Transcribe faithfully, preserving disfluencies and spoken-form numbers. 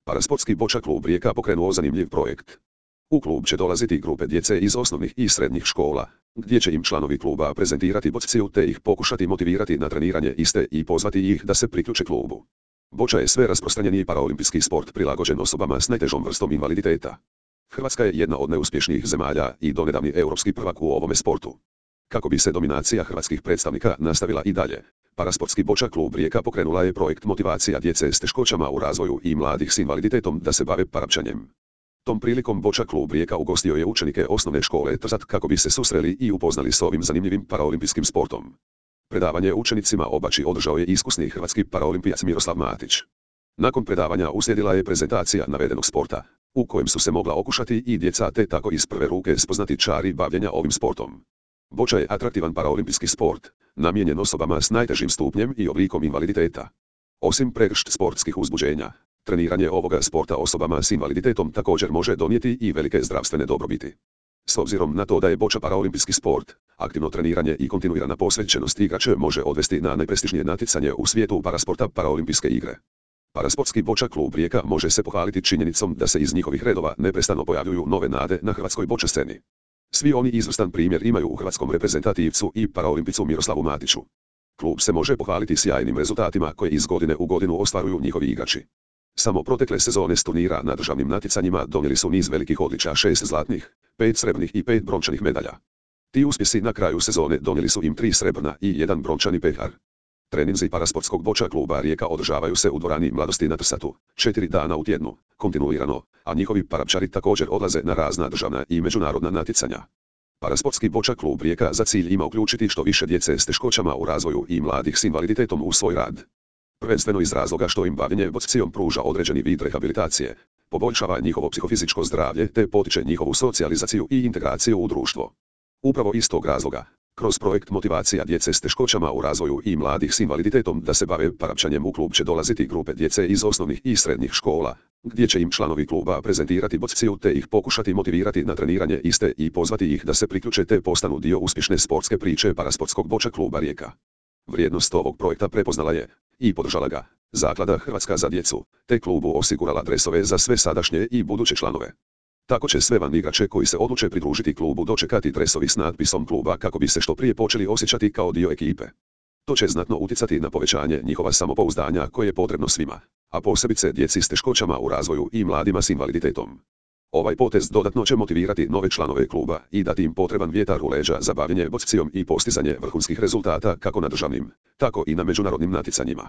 Parasportski boča klub Rijeka pokrenuo zanimljiv projekt. U klub će dolaziti grupe djece iz osnovnih i srednjih škola, gdje će im članovi kluba prezentirati bociju te ih pokušati motivirati na treniranje iste i pozvati ih da se priključe klubu. Boča je sve rasprostranjeniji paraolimpijski sport prilagođen osobama s najtežom vrstom invaliditeta. Hrvatska je jedna od neuspješnijih zemalja i donedavni europski prvak u ovome sportu. Kako bi se dominacija hrvatskih predstavnika nastavila i dalje, Parasportski boča klub Rijeka pokrenula je projekt motivacija djece s teškoćama u razvoju i mladih s invaliditetom da se bave parapčanjem. Tom prilikom boča klub Rijeka ugostio je učenike osnovne škole Trzat kako bi se susreli i upoznali s ovim zanimljivim paraolimpijskim sportom. Predavanje učenicima obači održao je iskusni hrvatski paraolimpijac Miroslav Matić. Nakon predavanja uslijedila je prezentacija navedenog sporta, u kojem su se mogla okušati i djeca te tako iz prve ruke spoznati čari bavljenja ovim sportom. Boča je atraktivan paraolimpijski sport, namijenjen osobama s najtežim stupnjem i oblikom invaliditeta. Osim pregršt sportskih uzbuđenja, treniranje ovoga sporta osobama s invaliditetom također može donijeti i velike zdravstvene dobrobiti. S obzirom na to da je boča paraolimpijski sport, aktivno treniranje i kontinuirana posvećenost igrače može odvesti na najprestižnije natjecanje u svijetu parasporta paraolimpijske igre. Parasportski boča klub Rijeka može se pohvaliti činjenicom da se iz njihovih redova neprestano pojavljuju nove nade na hrvatskoj boča sceni. Svi oni izvrstan primjer imaju u hrvatskom reprezentativcu i paraolimpicu Miroslavu Matiću. Klub se može pohvaliti sjajnim rezultatima koje iz godine u godinu ostvaruju njihovi igrači. Samo protekle sezone s turnira na državnim natjecanjima donijeli su niz velikih odličja, šest zlatnih, pet srebrnih i pet brončanih medalja. Ti uspjesi na kraju sezone donijeli su im tri srebrna i jedan brončani pehar. Treninzi parasportskog boča kluba Rijeka održavaju se u dvorani Mladosti na Trsatu, četiri dana u tjednu, kontinuirano, a njihovi parapčari također odlaze na razna državna i međunarodna natjecanja. Parasportski boča klub Rijeka za cilj ima uključiti što više djece s teškoćama u razvoju i mladih s invaliditetom u svoj rad. Prvenstveno iz razloga što im bavljenje bocijom pruža određeni vid rehabilitacije, poboljšava njihovo psihofizičko zdravlje te potiče njihovu socijalizaciju i integraciju u društvo. Upravo iz tog razloga, kroz projekt motivacija djece s teškoćama u razvoju i mladih s invaliditetom da se bave parapčanjem u klub će dolaziti grupe djece iz osnovnih i srednjih škola, gdje će im članovi kluba prezentirati bociju te ih pokušati motivirati na treniranje iste i pozvati ih da se priključe te postanu dio uspješne sportske priče Parasportskog boča kluba Rijeka. Vrijednost ovog projekta prepoznala je i podržala ga Zaklada Hrvatska za djecu, te klubu osigurala dresove za sve sadašnje i buduće članove. Tako će sve van igrače koji se odluče pridružiti klubu dočekati dresovi s natpisom kluba kako bi se što prije počeli osjećati kao dio ekipe. To će znatno utjecati na povećanje njihova samopouzdanja koje je potrebno svima, a posebice djeci s teškoćama u razvoju i mladima s invaliditetom. Ovaj potez dodatno će motivirati nove članove kluba i dati im potreban vjetar u leđa za bavljenje bocijom i postizanje vrhunskih rezultata kako na državnim, tako i na međunarodnim natjecanjima.